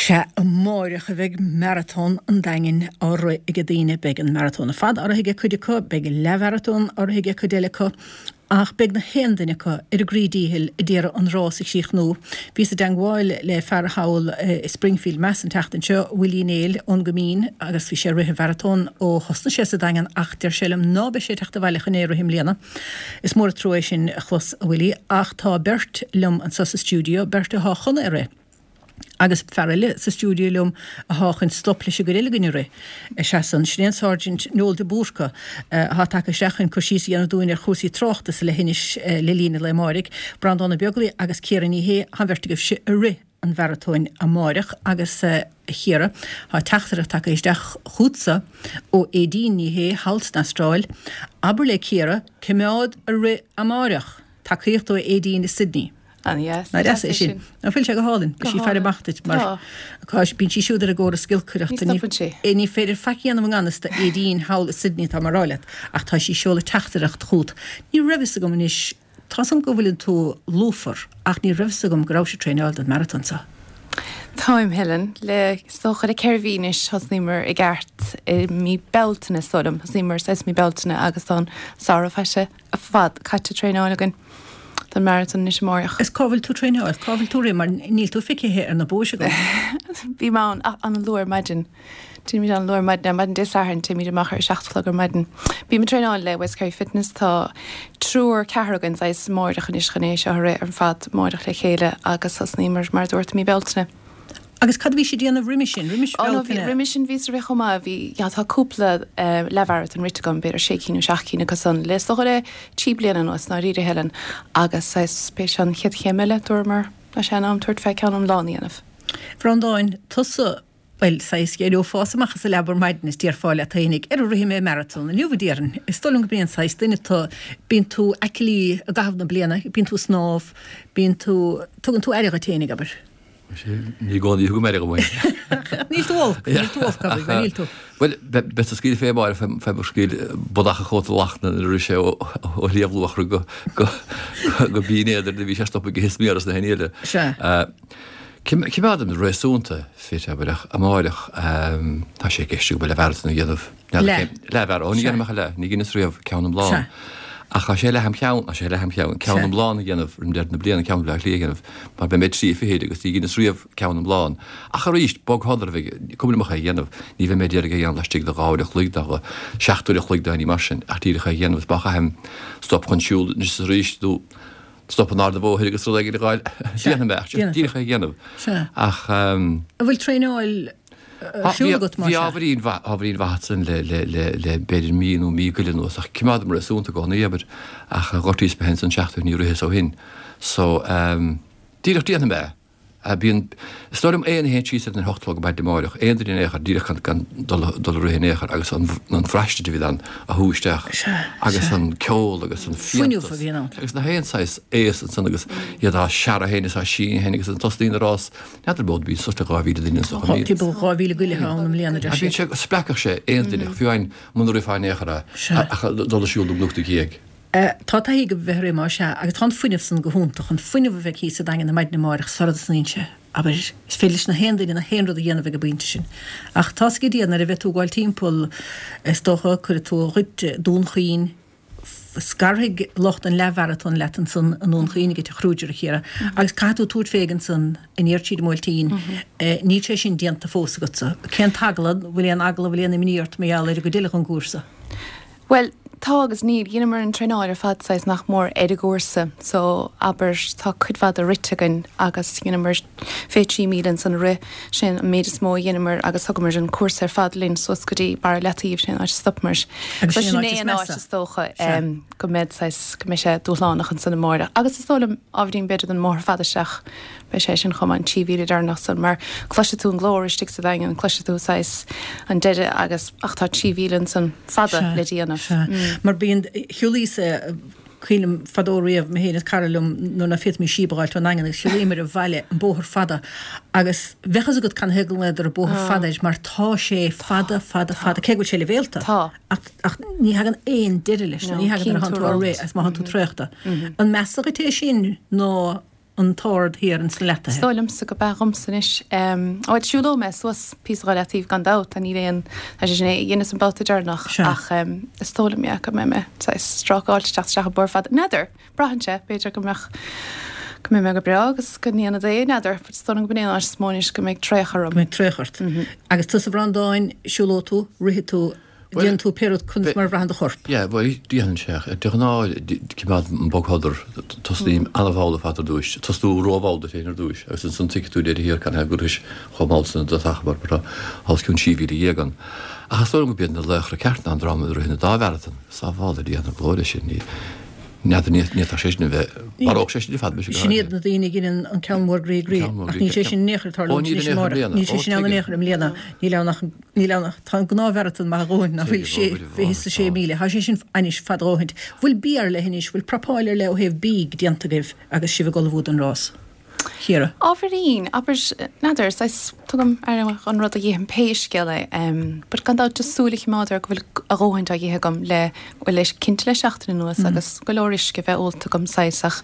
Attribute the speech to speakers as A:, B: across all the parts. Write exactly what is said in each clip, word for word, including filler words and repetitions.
A: Sea, amáireach a bheidh Maratón an Daingin á rith ag daoine, beidh an maratón ar fad á rith ag cuid acu, beidh leathmharatón á rith ag cuid eile acu, ach beidh na haon duine acu ar a gcroí díchill ag iarraidh an rás a chríochnú. Bhíos i dteangmháil le fear thall i Springfield, Mass an tseachtain seo, Willie Néill ón gCoimín, agus bhí sé ag rith an mharatón ó thosnaigh sé sa Daingean ach deir sé liom ná beidh sé ag teacht abhaile chun é a rith i mbliana. Is mór an trua é sin a chlos, a Willie, ach tá beirt liom anso sa stiúideo, beirt athá chun é a rith. Agus fear eile sa stiúideo liom athá chun stop leis an gcuid eile againn a rith. Seasann. Sin é an Sáirsint Noel de Búrca athá tagtha isteach chun cur síos a dhéanamh dúinn ar chúrsaí tráchta sa leithinis le linn an lae amáirigh. Breandán Ó Beaglaoi agus Ciara Ní Shé, thá an bheirt agaibhse ag rith an mharatóin amáireach agus a Chiara, thá teachtaireacht tagtha isteach chughatsa ó Aedín Ní Shé thall san Astráil. Abair le Ciara coimeád ag rith amáireach! Tacaíocht ó Aedín i Sydney.
B: An-deas.
A: Nach deas é sin? Ná fuil sé go hálainn? Beidh sí ag faire amach duit mar bíonn sí siúd ar an gcóras giolcaireachta.
B: Ní stopann sí.
A: Ní féidir faic a dhéanamh i ngan fhios d'Aedín thall i Sydney tá mé ag rá leat ach tá sí ag seoladh teachtaireacht chugat. Ní raibh fhios agam anois, tá 's agam go bhfuileann tú lúfar ach ní raibh fhios agam go rabhais ag traenáil don marathon seo.
B: Táim, Helen. Le, is dócha le ceithre mhí anois thosnaíomar i gceart i mí Bealtaine is dóigh liom. Thosnaíomar saghas mí Bealtaine agus tá an samhradh faighte fad caite ag traenáil againn don marathon anois amáireach.
A: Is cá bhfuil tú ag traenáil? Cá bhfuil tú ag rith? Mar níl tú feicthe ar na bóithre agam.
B: Bím ann ach an-luath ar maidin. Téimid an-luath ar maidin, ar maidin Dé Sathairn téimid amach ar a seacht a chlog ar maidin. Bím ag traenáil le West Kerry Fitness, tá triúr, ceathrar againn saghas amáireach anois chun é seo a rith ar fad amáireach le chéile agus thosnaíomar mar a dúirt i mí Bealtaine.
A: Agus cad a bhís ag déanamh roimis sin, roimis
B: Ó no, bhí,
A: Bealtaine?
B: roimis sin bhíos ag rith chomh maith, bhí, yeah, tá cúpla eh, leathmharatón rite agam, b'fhéidir sé cinn nó seacht cinn acu san, le is dócha le trí bliana anuas, i ndáiríre, Helen, agus saghas, b'é seo an chéad chéim eile, dúramar, tá sé in am tabhairt fé ceann iomlán a dhéanamh.
A: Bhreandáin, tusa, bhuel, saghas, d'éireofása amach as an leaba ar maidin is déarfá leat fhéinig, Ara rithfidh mé maratón inniu, a déarfainn. Is dóigh liom go b'é an saghas duine tú, bíonn tú aclaí i gcaitheamh na bliana, bíonn tú ag snámh, bíonn tú, tugann tú aire dhuit fhéinig, abair.
C: Ní i gcónaí a thugaim aire dhom féin.
A: Níl tú olc, níl tú olc, abair, bhuel, níl tú.
C: Bhuel, beadsa ag scaoileadh fé amárach, fé mo scaoil bodach a chóta lachna nuair a rith sé ó Shliabh Luachra go go Binn Éadair do bhí sé stoptha go smior as na haon eile.
A: Sea.
C: Coimeádaim réasúnta fit, abair, ach amáireach tá sé i gceist agam leathmharatón a dhéanamh.
A: Leath.
C: Leathmharatón, ní dhéanaim ach leath, ní dheineas riamh ceann iomlán.
A: Sea.
C: Ach tá sé leath am cheann, tá sé leath am cheann, ceann iomlán a dhéanamh roim deireadh na bliana, ceann Bhaile Átha Cliath a dhéanamh, mar beidh mé trí fichid agus ní dheineas riamh ceann iomlán. Ach arís, bogshodar a bheidh, cuma liom ach é a dhéanamh, ní bheidh mé ag iarraidh é a dhéanamh laistigh de dhá uair a chloig, de seacht uair a chloig, de ní mar sin, ach díreach é a dhéanamh is má chaithim stop chun siúl anois is arís nó stop in ard an bhóthair agus rud éigin a fháil, déanfaidh mé, ach díreach é a dhéanamh. Ach.
A: An bhfuil traenáil ar siúl agat,
C: más ea? Bhí ábhairín mhaith, ábhairín mhaith ansin le, le, le, le b'fhéidir mí nó mí go leith anuas, ach coimeádaim réasúnta i gcónaí, abair, ach ghortaíos mé féin san seachtain, ní ritheas ó shin. So, ehm, díreach déanfaidh mé é. Bíonn, is dóigh liom aon a théann síos ar an hocht a chlog ar maidin amáireach, aon duine in aon chor, díreach gan, gan dul, dul ag rith in aon chor agus an, an bhraistint a bhíonn ann a shú isteach agus an ceol agus an
A: Fuinneamh
C: fiántas
A: a bhíonn ann.
C: agus na haon saghas aos ansan agus iad á searradh féin is á síneadh féin agus an tosnaíonn an rás N'fheadar b'fhéidir bíonn suas le dhá mhíle duine anso chomh
A: Timpeall dhá mhíle go leith ann i mbliana, deir
C: siad. Bíonn sé, spreagfadh sé aon duine, fiú amháin muna rithfeá in aon chor é, ach dul ag siúl nó gluaiseacht ina dhiaidh.
A: Tá taithí agaibh a bheith ag rith, más ea, agus tá an fuinneamh san go hiontach, an fuinneamh a bheidh thíos sa Daingean ar maidin amáireach sara dtosnaíonn sé. Abair, is féidir leis na haon duine na haon rud a dhéanamh ag an bpointe sin. Ach tá's ag Dia nuair a bheidh tú ag gabháil timpeall, is dócha, cuirfidh tú dhuit Dún Chaoin, Scarfaidh lucht an leathmharatóin leat ansan i nDún Chaoin ag an Teach Kruger, a Chiara, agus caithfidh tú tabhairt fé ansan aniar tríd an mBuailtín. Níl sé sin déanta fós agatsa. Cén t-eagla, an bhfuil aon eagla, an bhfuil aon imní ort mar gheall ar an gcuid eile den gcúrsa?
B: Bhuel, tá agus níl. Dheineamar an traenáil ar fad saghas nach mór ar an gcúrsa so abair tá cuid mhaith de rite againn agus dheineamar fiche trí míle ansan a rith. Sin an méid is mó a dheineamar agus thugamar an cúrsa ar fad linn suas go dtí Barra Leataoibh, sin an áit a stopamar.
A: Agus
B: So
A: sin
B: sin
A: an áit
B: é
A: is
B: an áit
A: measa.
B: is dócha
A: Sea.
B: go mbeidh saghas, go mbeidh sé dúshlánach ansan amáireach. Agus is dóigh liom ábhairín b'fhéidir don mbóthar fada isteach, beidh sé sin chomh maith, an trí mhíle deireanach san, mar cloisfidh tú an glór istigh sa Daingean, cloisfidh tú saghas an deireadh agus, ach tá trí mhíle ansan fada
A: Sea,
B: le déanamh.
A: sea. Mar bíonn, shiúlaíos-sa, Cuimhin liom fadó riamh, mé féin is cara liom nuair ná féadfaimis síob a dh'fháilt ón nDaingean agus shiúlaíomar abhaile an bóthar fada agus bheadh fhios agat canathaobh go nglaodar an bóthar fada air mar tá sé fada, fada, fada, cé go bhfuil sé leibhéalta ach, ach ní thagann aon deireadh leis, ní thagann nuair atánn tú á rith agus má thánn tú traochta. An measa dhuit é sin nó an t-ard thiar ins na leataithe.
B: Is dóigh liomsa go b'ea dhomsa anois. Bhuel, siúlóidh mé suas píosa dhá leataobh gan dabht, tá níl aon, tá sé sin é a dheineas an babhta deireanach ach is dóigh liom, yeah, go mbeidh mé saghas strácáilte teacht isteach an bóthar fada. N'fheadar, braitheann sé, b'fhéidir go mbeadh, go mbeidh mé go breá agus go ndéanfad é, n'fheadar, but is dóigh liom go b'in é an áit is mó anois go mbeidh traochadh orm.
A: Go mbeidh traochadh ort. Agus tusa a Bhreandáin, siúlóidh tú, rithfidh tú, Déanann tú pé rud conas mar a bhraitheann do chorp.
C: Yeah, bhuel, déanann sé. De ghnáth, coimeádaim bogshodar, tosnaím an-mhall ar fad ar dtúis, tosnú rómhall duit féin ar dtúis, agus ansan tuigfidh tú deireadh thiar canathaobh gur rithis chomh mall san i dtosach mar tá os cionn trí mhíle dhéag ann. Ach is dóigh liom gurb iad na laochra ceart ná an dream a ritheann an dá mharatón. Sábhála Dia na glóire sin, ní, n'fheadar, ní fhéadfadh sé sin a bheith, mharódh sé sin ar fad mise go
A: Sin iad na daoine a dheineann an ceann mór groí groí, ach níl sé sin in aon chor ag
C: tarlúint
A: anois amárach, níl sé sin ann in aon chor i mbliana, níl ann ach, níl ann ach, tá an gnáthmharatón maith a dhóthain nach bhfuil sé fiche is a sé míle, tá sé sin anois fada a dhóthaint. Bhfuil bia ar leith anois, bhfuil prapáil ar leith ó thaobh bídh déanta agaibh agus sibh ag ullmhú don rás? Ciara.
B: Ábhairín, abair, n'fheadar, saghas, tugaim aire don rud a dh'ithim pé scéal é, but gan dabht just súil a choimeád air go bhfuil a dhóthaint á dh'ithe agam le, bhuel, le, cinnte le seachtain anuas agus go leor uisce a bheith ólta agam saghas ach,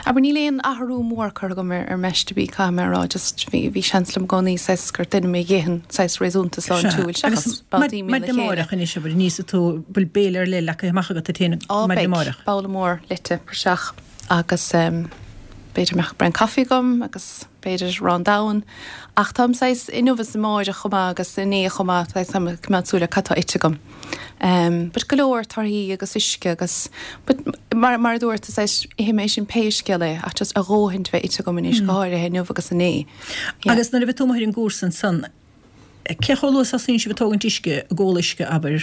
B: abair, níl aon athrú mór curtha agam ar, ar m'aiste bídh, caithfidh mé a rá, just bhí, bhí seans liom i gcónaí saghas gur duine mé a dh'itheann saghas réasúnta sláintiúil
A: seachas
B: Agus babhtaí míle
A: maidin
B: chéile.
A: amárach anois, abair, níos tú, bhfuil béile ar leith leagtha amach agat duit féin
B: Á,
A: maidin
B: beidh,
A: amárach?
B: babhla mór leite praiseach agus em, B'fhéidir mbeadh braon caife agam agus b'fhéidir arán donn. Ach táim saghas inniu is amáireach chomh maith agus inné chomh maith, saghas táim ag coimeád súil ar cad tá ite agam. Em, but go leor torthaí agus uisce agus, but mar, mar a dúirt, is saghas ithfidh mé sin pé scéal é ach just a dhóthain bheith ite agam anois, go háirithe inniu agus inné. Yeah.
A: Agus nuair a bheidh tú amuigh ar an gcúrsa ansan, cé chomh luath is a thosaíonn sibh ag tógaint uisce, ag ól uisce, abair?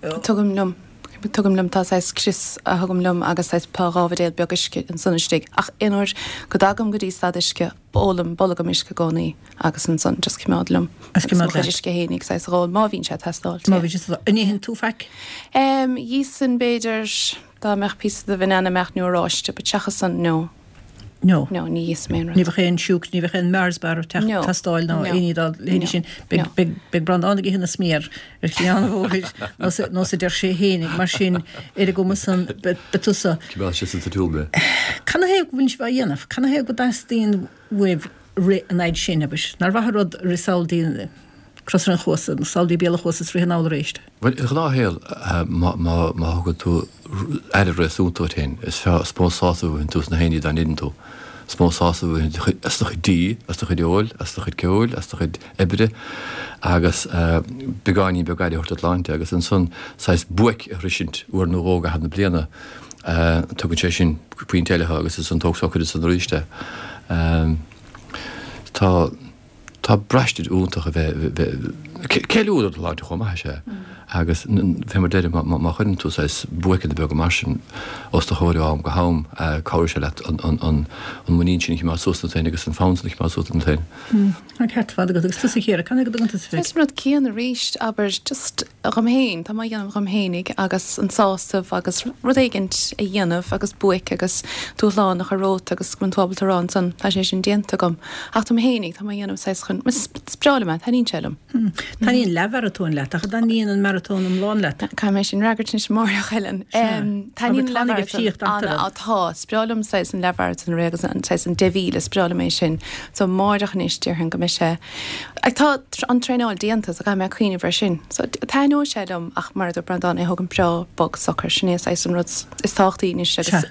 B: Tugaim liom, tugaim liom, tá saghas crios a thugaim liom agus saghas tá dhá bhuidéal beag uisce ansan istigh ach aon uair go dtagaim go dtí stad uisce ólaim bolgam uisce i gcónaí agus ansan just coimeád liom
A: Agus
B: agus
A: coimeád
B: mo chuid
A: leat.
B: uisce fhéinig saghas a dh'ól má bhíonn sé ag teastáil,
A: Má
B: yeah.
A: bhíonn sé ag teastáil. An itheann tú faic?
B: Em, dh'íosfainn b'fhéidir dá mbeadh píosa de bhanana amach nó oráiste but seachas san no.
A: No.
B: No, ní íosfainn aon rud.
A: Ní bheadh aon siúcra, ní bheadh aon Mars bar ag teacht,
B: No.
A: teastáil ná
B: No.
A: aon ní dá leithéidí
B: No.
A: sin. Beidh,
B: No.
A: beidh, beidh Breandán ag ithe na sméar ar chliathán an bhóthair nós a, nós a deir sé fhéinig. Mar sin, ar an gcuma san, beidh, beidh tusa.
C: Coimeád sé sa tsiúl mé.
A: Canathaobh go bhfuil sibh á dhéanamh? Canathaobh go dteastaíonn uaibh rith an fhaid sin, abair? Nár mhaith an rud rith sall dtí Cros an Chuasa, nó sall dtí Béal an Chuasa is rith anall arís?
C: Bhuel, i ngnáthshaol, má, má, má thugann tú aire réasúnta duit féin, is fearr, is mó sásamh a bhfaigheann tú as na haon ní dá ndeineann tú. Is mó sásamh a bhfaigheann tú as do chuid dí, as do chuid óil, as do chuid ceoil, as do chuid oibre, agus beagáinín beag aire a thabhairt do shláinte, agus ansan saghas buaic a shroisint uair nó dhó i gcaitheamh na bliana, tugann sé sin pointe eile thú agus ansan tóg socair ansan arís é. Tá. Tá braistint iontach a bheith, bheith, ceiliúradh do shláinte chomh maith is ea. Agus fé mar deirim, má chuireann tú saghas buaiceanna beaga mar sin os do chomhair ó am go ham, cabhróidh sé leat an muinín sin a choimeád suas ionat féin agus an fonn sin a choimeád suas ionat féin.
A: Tá an ceart ar fad agat. Agus tusa a Chiara, canathaobh go dtugann tusa fé?
B: Is an rud céanna arís, abair, just dhom féin, tá mé á dhéanamh dhom fhéinig agus an sásamh agus rud éigint a dhéanamh agus buaic agus dúshlán a chur romhat agus go mbíonn tú ábalta a rá ansan tá sé sin déanta agam. Ach dom fhéinig, tá mé á dhéanamh saghas chun, is breá liom é, taitníonn sé liom.
A: Taitníonn leathmharatón leat, ach an dtaitníonn an maratón iomlán leat?
B: Caithfidh mé sin a fhreagairt anois amárach, Helen. Taitníonn an leathmharatón ana, á tá, is breá liom saghas an leathmharatón agus an saghas an deich mhíle, is breá liom é sin. So amárach anois déarfainn go mbeidh sé, tá an traenáil déanta so caithfidh mé cuimhneamh air sin. So taitneoidh sé liom ach mar a dúirt Breandán, é a thógaint breá bog socair, sin é saghas an rud is tábhachtaí anois agus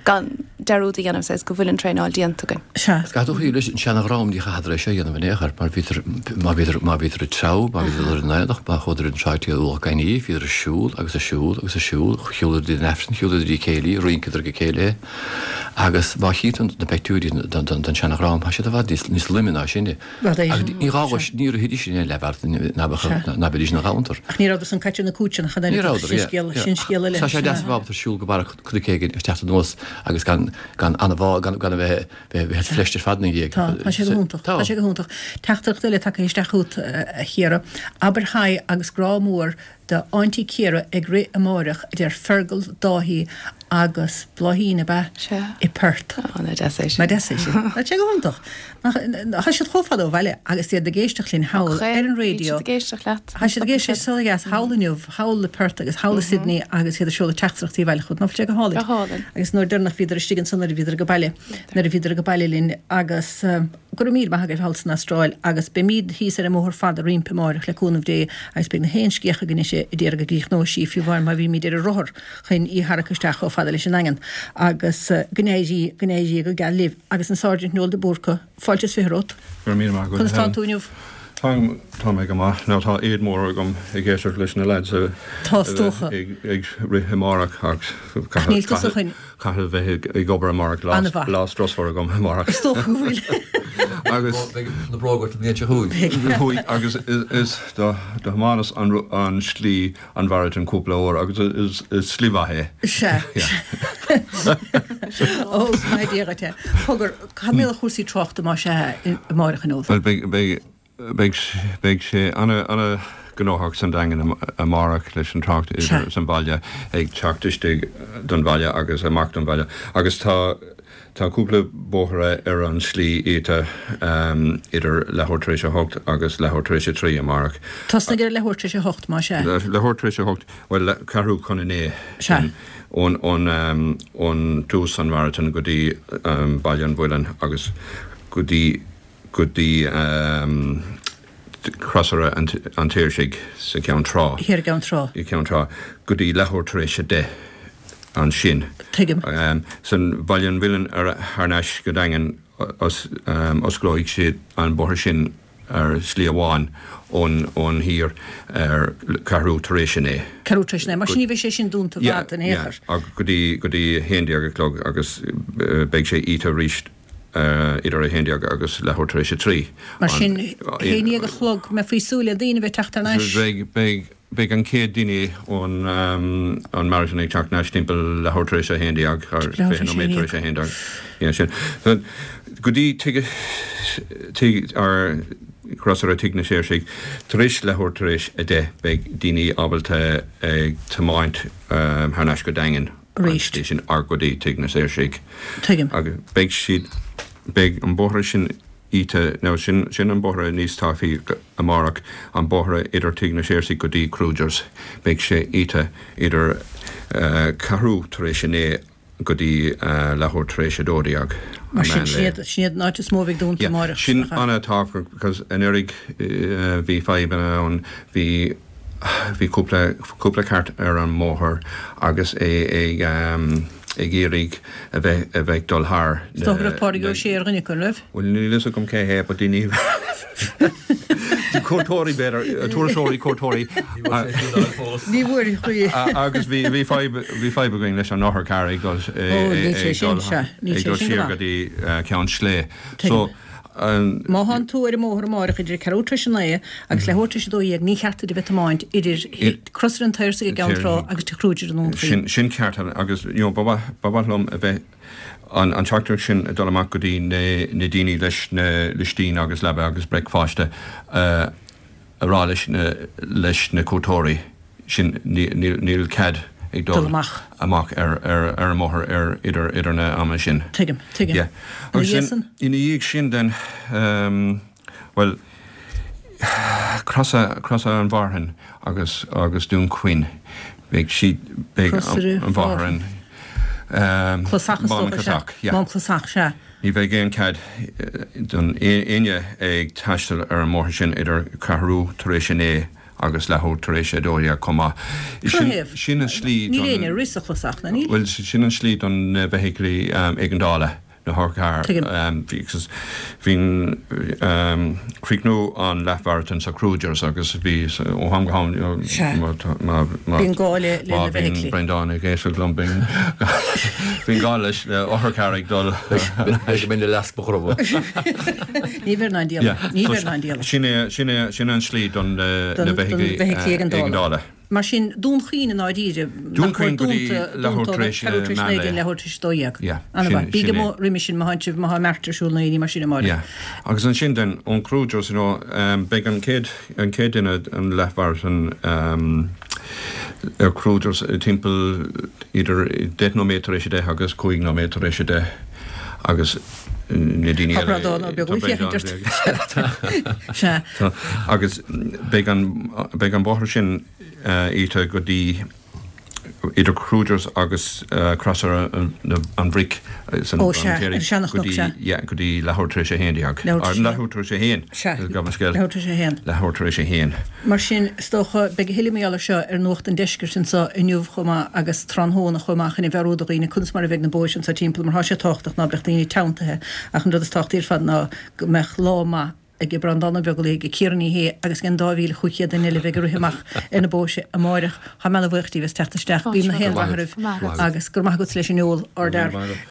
B: gan dearúd a dhéanamh saghas go bhfuil an traenáil déanta againn.
A: Sea.
C: Is caithfidh tú cuimhneamh leis an seana-dhream ní chaitheadar é seo a dhéanamh in aon chor mar bhíodar, má bhíodar, má bhíodar ag treabhadh, má bhíodar ag dul ar an aonach, má chuadar ar an tráigh taobh Ualach Gainní, bhíodar ag siúl agus ag siúl agus ag siúl, shiúladar dtí an Aifreann, shiúladar dtí céilí, rinceadar ag an céilí agus má chíonn tú na peictiúirí den, den, den seana-dhream, tá siad i bhfad níos, níos loime ná sinne. Agus ní gá dhuit, ní rithidís in aon leathmharatón ná beidís ina ghamhantar.
A: Ach ní rabhadar san caite ar na cúiteanna chan
C: Ní
A: oiread,
C: rabhadar,
A: sin
C: yeah,
A: scéal,
C: yeah.
A: sin scéal eile.
C: Tá sé deas a bheith ábalta siúl go barra cnoic éigin is teacht anuas agus gan, gan an-bhá, gan, gan a bheith, bheith, bheith fleisc ar fad ina dhiaidh.
A: Tá, tá sé go hiontach, tá
C: Tá.
A: sé go hiontach. Teachtaireacht eile tagtha isteach chugat, a Chiara. Abair haigh agus grá mór do Auntie Ciara ag rith amáireach, a deir Fergal Dáithí agus Bláithín ab ea
B: Sea.
A: i Perth.
B: Ó, nach deas é sin.
A: Nach deas é sin. Tá sé go hiontach. Tá siad chomh fada ó bhaile agus iad ag éisteacht linn thall ar an raidió.
B: Bhí siad ag éisteacht leat.
A: Tá siad ag éisteacht so dheas thall inniu, thall i Perth agus thall i Sydney agus iad ag seoladh teachtaireachtaí abhaile chugat. Nach bhfuil sé go hálainn?
B: Go hálainn.
A: Agus nuair deireanach bhíodar istigh ansan nuair a bhíodar ag baile, nuair a bhíodar ag baile linn agus go raibh míle maith agaibh thall san Astráil agus beimid thíos ar an mbóthar fada roimpi amárach le cúnamh Dé agus beidh na haon sciath againn ag iarraidh go gcríochnóidh sí fiú amháin má bhímid ar an rothar chun í a tharrac isteach chomh fada leis an nDaingean agus go n-éirí go n-éirí go geal libh agus an Sáirsint Noel de Búrca, fáilte is fiche romhat.
D: Go raibh míle maith agat.
A: Conas tá tú inniu?
D: Tá tá mé go maith. Nó tá éad mór agam ag éisteacht leis na lads a
A: Tá is dócha.
D: ag ag rith amárach ach
A: Ach níl tusa chun-
D: caithfidh bheith ag obair amárach lá
A: An-mhaith.
D: lá strusmhar agam amárach.
A: Is dócha go bhfuil.
D: Agus
C: Beidh na bróga an bhliain seo chugainn.
D: Chuaigh agus is is do do thiomáineas an ru- an slí an mharathon cúpla uair agus is is slí mhaith é.
A: Sea. Ó, maith Dia dhuit é. Cogar, cad mé a chúrsaí tráchta má sé amárach inniu.
D: Well beidh beidh beidh beidh sé ana ana gnóthach san Daingean amárach leis an trácht
A: Sea.
D: san bhaile ag teacht istigh don bhaile agus amach don bhaile agus tá tá cúpla bóithre ar an slí iata um, idir leathuair tar éis a hocht agus leathuair tar éis a trí amárach.
A: Tosnaigh ar leathuair tar éis a hocht má sé.
D: Leathuair tar éis a hocht well le- ceathrú chun a naoi
A: Sea.
D: ón ón um, ón tús an marathon go dtí um, Baile an Mhuilinn agus go dtí go dtí um, crosaire an an Tsaoirsigh sa Cheann Trá
A: Thiar i gCeann Trá.
D: i Ceann Trá go dtí leathuair tar éis a deich ansin.
A: Tuigim.
D: Um, san Baile an Mhuilinn ar thar n-ais go Daingean os, um, osclóidh siad an bóthar sin ar slí amháin ón ón thiar ar ceathrú tar éis a naoi.
A: Ceathrú tar éis a naoi, mar sin ní bheidh sé sin dúnta fad in aon chor.
D: agus go dtí go dtí haon déag a chlog agus uh, beidh sé iata arís uh, idir a haon déag agus leathuair tar éis a trí.
A: Mar sin
D: An-
A: haon déag a chlog me faoi súile daoine bheith teacht ar ais.
D: Beidh beidh beidh an chéad duine ón um, an marathon ag teacht ar ais timpeall leathuair tar éis a haon déag ar
A: Leathuair tar éis
D: fiche nóiméad
A: a
D: tar éis a haon déag. Yeah, sin. So, go dtí tigh tigh ar crosaire Tigh na Saoirsigh tar éis leathuair tar éis a deich beidh daoine ábalta ag tiomáint um, thar n-ais go Daingean
A: Arís.
D: an sin ar go dtí Tigh na Saoirsigh.
A: Tuigim.
D: Agus beidh siad beidh an bóthar sin iata nó sin sin an bóthar níos tapaí amárach an bóthar idir Tigh na Saoirsigh go dtí Kruger's beidh sé iata idir uh, ceathrú tar éis a naoi go dtí uh, leathuair tar éis a dó dhéag.
A: Mar sin siad siad an áit is mó a bheidh dúnta amárach.
D: Sin an-tábhachtach because anuraidh uh, bhí fadhbanna ann bhí bhí cúpla cúpla cairt ar an mbóthar agus é ag um, ag iarraidh a bheith a bheith dul thar.
A: Is dócha go raibh Pádraig Ó Sé ar dhuine acu, raibh?
D: Well níl fhios agam cé hé, but daoine cuairteoirí b'fhéidir turasóirí cuairteoirí
A: Ní bhfuair chuí.
D: agus bhí bhí fadhb bhí fadhb againn leis an otharcharr ag dul
A: Ó, níl sé sin, sea, níl
D: ag
A: sé
D: dul
A: sin go
D: siar
A: maith.
D: go dtí Ceann Sléibhe. So um,
A: Má thánn tú ar an mbóthar amárach idir ceathrú tar éis a naoi agus leathuair tar éis a dó dhéag ní cheart duit a bheith ag tiomáint idir Crosaire an tSaoirsigh i gCeann Trá agus Tigh Kruger i nDún Chaoin.
D: Sin sin ceart agus you know, ba mhaith ba mhaith liom a bheith an an teachtaireacht sin ag dul amach go dtí na na daoine leis na listín agus leaba agus bricfeasta uh, a rá leis na leis na cuairteoirí sin níl níl cead ag dul
A: Dul amach.
D: amach ar ar ar an mbóthar ar idir idir na ama sin.
A: Tuigim, tuigim.
D: Yeah.
A: Ina
D: Agus
A: dhiaidh
D: sin-
A: sin?
D: ina dhiaidh sin den um, well Crosa Crosaire an Mhárthain agus agus Dún Chaoin beidh siad beidh
A: Crosaire
D: an Mhárthain um,
A: Clasach is
D: Mám
A: dócha, sea.
D: Clasach, yeah.
A: Mám Clasach, sea.
D: Ní bheidh aon cead don éinne ag taisteal ar an mbóthar sin idir ceathrú tar éis a naoi agus leathuair tar éis a dó dhéag chomh maith. Sin
A: Cloicheamh.
D: sin an slí
A: Níl éinne ag rith sa Chlasach, na níl?
D: Well sin an slí don na feithiclí um, éigeandála na hotharchairr
A: Tuigim.
D: um, bhí bhín um, críochnú an leathmharathon sa Kruger's agus bhí ó ham go ham
A: Sea. Bíonn gá le- le na feithiclí.
D: Brendan ag éisteacht liom bíonn bíonn gá leis le otharcharr ag dul
C: Beidh mé leas mo chrobha.
A: Ní bheir ná díol. Ní bheir ná díol.
D: Sin é sin é sin an slí don na
A: Don-
D: na
A: don
D: feithiclí
A: feithiclí éigeandála.
D: éigeandála.
A: Mar sin Dún Chaoin i ndáiríre.
D: Dún Chaoin go dtí leathuair tar éis, eh, meán lae.
A: leathuair tar éis a dó dhéag.
D: Yeah,
A: An
D: sin-
A: Bí
D: sin
A: go
D: é.
A: roimhe sin má tháid má meartar siúl na mar sin amárach.
D: Yeah. Agus ansin den ón Kruger's you know, um, beidh an chéad an chéad duine an leathmharathon um, Ar Kruger's timpeall idir deich nóiméad tar éis a deich agus cúig nóiméad tar éis a deich agus na daoine
A: Tá Breandán Ó Beaglaoich féachaint ort. Sea.
D: Agus beidh an beidh an bóthar sin iata go dtí idir Kruger's agus Crosaire an Bhric san
A: Ó sea, ar an Seanchnoc, sea.
D: Yeah, go dtí leathuair tar éis a haon déag.
A: Leathuair tar éis a haon.
D: Leathuair tar éis a haon.
A: Sea,
D: Gabh mo scéal.
A: leathuair tar éis a haon.
D: Leathuair tar éis a haon.
A: Mar sin, is dócha, beidh a thuilleadh mar gheall air seo ar Nuacht an Deiscirt anseo inniu chomh maith agus tráthnóna chomh maith chun a mheabhrú do dhaoine conas mar a bheidh na bóithre anseo timpeall mar tá sé tábhachtach ná beadh daoine teanntaithe ach an rud is tábhachtaí ar fad ná go mbeadh lá maith ag Breandán Ó Beaglaoich, ag Ciara Ní Shé agus ag an dá mhíle chúig chéad duine eile a bheidh ag rith amach ar na bóithre amáireach. Táim ana-bhuíoch díbh as teacht isteach. Guím na haon rath oraibh agus go raibh maith agat leis an ól, ardfhear.